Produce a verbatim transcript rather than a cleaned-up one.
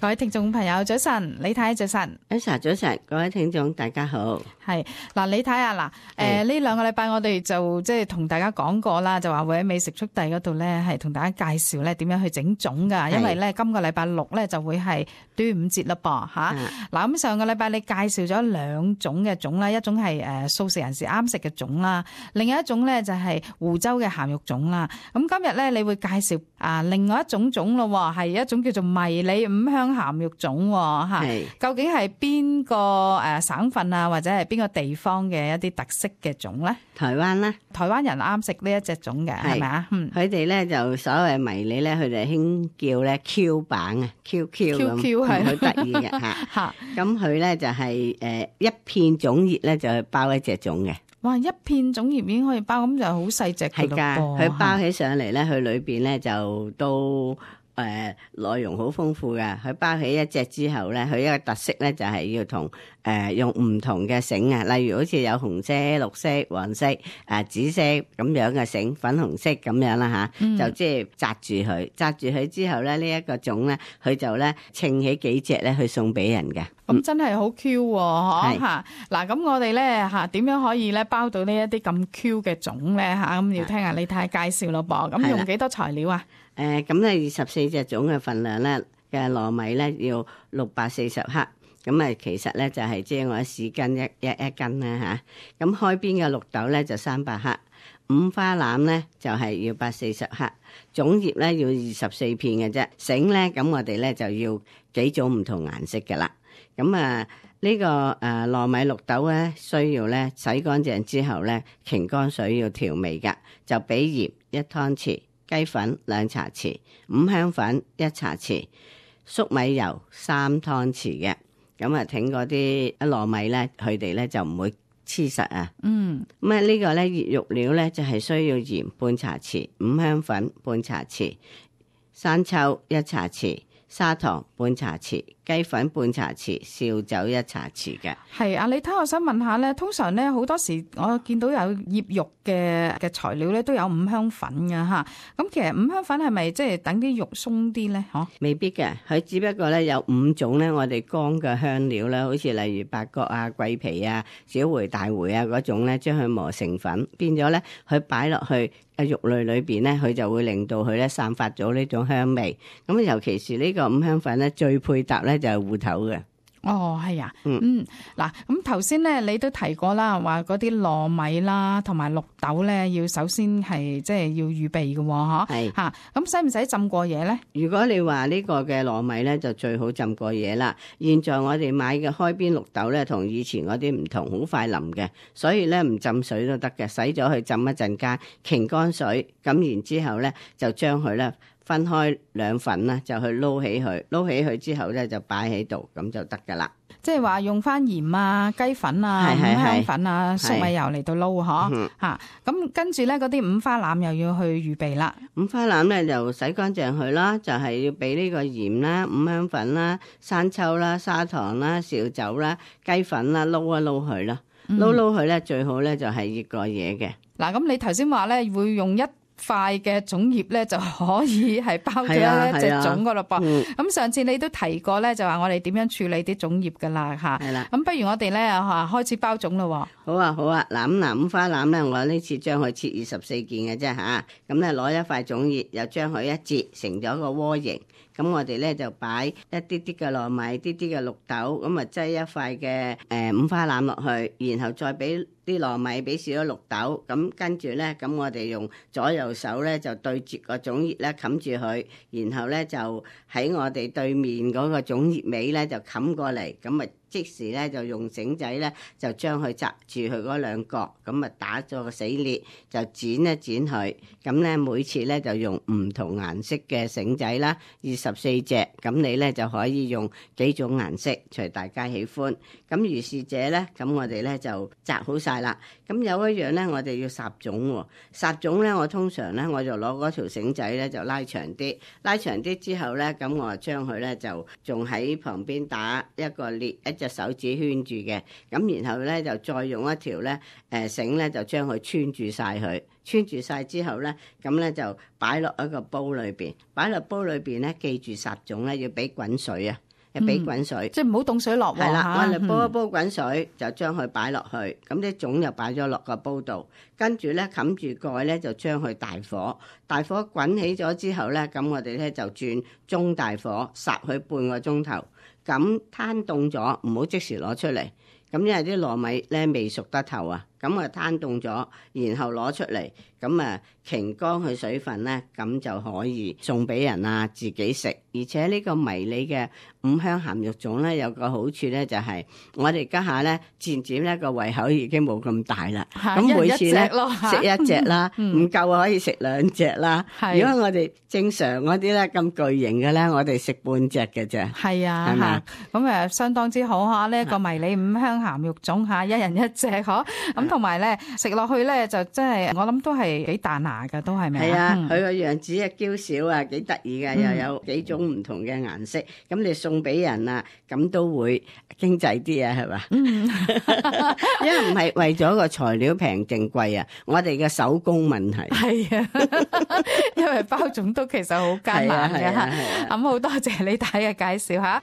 各位聽眾朋友早晨，李太早晨。Elsa 早晨，各位聽眾大家好。係嗱，李太啊，嗱，誒呢兩個禮拜我哋就即係同大家講過啦，就話會喺美食速遞嗰度咧係同大家介紹咧點樣去整粽噶，因為咧今個禮拜六咧就會係端午節啦噃吓。嗱咁上個禮拜你介紹咗兩種嘅粽啦，一種係誒素食人士啱食嘅粽啦，另外一種咧就係湖州嘅鹹肉粽啦。咁今日咧你會介紹啊另外一種粽咯，係一種叫做迷你五香鹹肉粽吓。究竟係邊個誒省份啊，或者係邊個地方嘅一啲特色嘅粽咧？台灣啦，台灣人啱食呢一隻粽嘅，係咪啊？嗯，佢哋咧就所謂迷你咧，佢哋興叫咧 Q 版啊 ，Q Q 咁，係好得意嘅吓。咁佢咧就係誒一片粽葉咧就係包一隻粽嘅。哇！一片粽葉已經可以包，咁就好細隻嘅咯噃。係㗎，佢包起上嚟咧，佢裏邊咧就都。誒、呃、內容好豐富嘅，佢包起一隻之後咧，佢一個特色咧就係、是、要同誒、呃、用唔同嘅繩啊，例如好似有紅色、綠色、黃色、誒、呃、紫色咁樣嘅繩，粉紅色咁樣啦吓，嗯、就即係紮住佢，紮住佢之後咧，這個、呢一個粽咧，佢就咧稱起幾隻咧去送俾人嘅。咁、嗯、真係好 Q 喎，嚇嗱！咁我哋咧嚇點樣可以咧包到呢一啲咁 Q 嘅粽咧嚇？咁要聽下你睇下介紹咯噃。咁用幾多材料啊？誒咁咧二十四隻粽嘅份量咧嘅糯米咧要六百四十克，咁啊其實咧就係即係我一市斤一一一斤啦嚇。咁開邊嘅綠豆咧就三百克，五花腩咧就係要百四十克，粽葉咧要二十四片嘅啫。繩咧咁我哋咧就要幾種唔同顏色嘅啦。咁啊呢個誒糯米綠豆咧需要咧洗乾淨之後咧擎乾水要調味㗎，就俾鹽一湯匙。雞粉兩茶匙，五香粉一茶匙，粟米油三湯匙嘅，咁啊挺嗰啲糯米咧，佢哋咧就唔會黐實啊。嗯，咁啊呢個咧熱肉料咧就係需要鹽半茶匙，五香粉半茶匙，生抽一茶匙，砂糖半茶匙，雞粉半茶匙，紹酒一茶匙嘅。係啊，你睇我想問下咧，通常咧好多時我見到有醃肉嘅嘅材料咧都有五香粉㗎吓。咁其實五香粉係咪即係等啲肉鬆啲咧？嗬，未必嘅，佢只不過咧有五種咧，我哋乾嘅香料啦，好似例如八角啊、桂皮啊、小茴、大茴啊嗰種咧，將佢磨成粉，變咗咧佢擺落去啊肉類裏邊咧，佢就會令到佢咧散發咗呢種香味。咁尤其是呢個五香粉咧，最配搭咧就係芋頭嘅。哦，係啊，嗯，嗱、嗯，咁頭先咧你都提過啦，話嗰啲糯米啦，同埋綠豆咧，要首先係即係要預備嘅，嗬，係吓，咁使唔使浸過夜咧？如果你話呢個嘅糯米咧，就最好浸過夜啦。現在我哋買嘅開邊綠豆咧，同以前嗰啲唔同，好快腍嘅，所以咧唔浸水都得嘅，洗咗去浸一陣間，擎乾水，咁然之後咧就將佢咧。分開兩份啦，就去撈起佢，撈起佢之後咧就擺喺度，咁就得噶啦。即係話用翻鹽啊、雞粉啊、五香粉啊、粟米油嚟到撈嗬吓。咁跟住咧嗰啲五花腩又要去預備啦。五花腩咧就洗乾淨佢啦，就係、是、要俾呢個鹽啦、五香粉啦、生抽啦、砂糖啦、紹酒啦、雞粉啦，撈一撈佢啦，撈撈佢咧最好咧就係熱過夜嘅。嗱、嗯，咁你頭先話咧會用一塊嘅粽葉咧就可以係包咗一隻粽噶咯噃。咁上次你都提過咧，就話我哋點樣處理啲粽葉噶啦吓。係啦。咁不如我哋咧吓開始包粽咯。好啊好啊，嗱咁嗱五花腩咧，我呢次將佢切二十四件嘅啫吓。咁咧攞一塊粽葉，又將佢一截成咗個窩形。咁我哋咧就擺一啲啲嘅糯米，啲啲嘅綠豆，咁啊擠一塊嘅誒五花腩落去，然後再俾啲糯米，俾少咗綠豆，咁跟住咧，咁我哋用左右手咧就對住個粽葉咧冚住佢，然後咧就喺我哋對面嗰個粽葉尾咧就冚過嚟，咁啊即時咧就用繩仔咧就將佢紮住佢嗰兩角，咁啊打咗個死裂，就剪一剪佢，咁咧每次咧就用唔同顏色嘅繩仔啦，二十四隻，咁你咧就可以用幾種顏色，隨大家喜歡。咁如是者咧，咁我哋咧就紮好晒啦。咁有一樣咧，我哋要撒粽喎。撒粽咧，我通常咧我就攞嗰條繩仔咧就拉長啲，拉長啲之後咧，咁我就將佢咧就仲喺旁邊打一個裂，一隻手指圈住嘅。咁然後咧就再用一條咧誒繩咧就將佢穿住晒佢。穿住晒之後咧，咁咧就擺落一個煲裏邊，擺落煲裏邊咧，記住撒粽咧要俾滾水啊！俾滾水，即係唔好凍水落喎。係啦，嚇我哋煲一煲滾水，就將佢擺落去，咁啲粽就擺咗落個煲度，跟住咧冚住蓋咧就將佢大火，大火滾起咗之後咧，咁我哋咧就轉中大火，烚佢半個鐘頭，咁攤凍咗，唔好即時攞出嚟，咁因為啲糯米咧未熟得透啊，咁啊攤凍咗，然後攞出嚟，咁啊擎乾佢水分咧，咁就可以送俾人啊，自己食。而且呢個迷你嘅五香鹹肉粽咧，有個好處咧，就係我哋家下咧漸漸咧個胃口已經冇咁大啦。咁每次咧食一隻啦，唔夠可以食兩隻啦。如果我哋正常嗰啲咧咁巨型嘅咧，我哋食半隻嘅啫。係啊，係嘛？咁誒相當之好嚇，呢一個迷你五香鹹肉粽嚇，一人一隻嗬。咁同埋咧食落去咧就真係我諗都係幾彈牙㗎，都係咪啊？係啊，佢個樣子啊嬌小啊，幾得意㗎，又有幾種唔同嘅顏色，咁你送俾人啊，咁都會經濟啲啊，係嘛？嗯，因為唔係為咗個材料平定貴啊，我哋嘅手工問題。係啊，因為包粽都其實好艱難嘅嚇。咁好多謝李太嘅介紹嚇。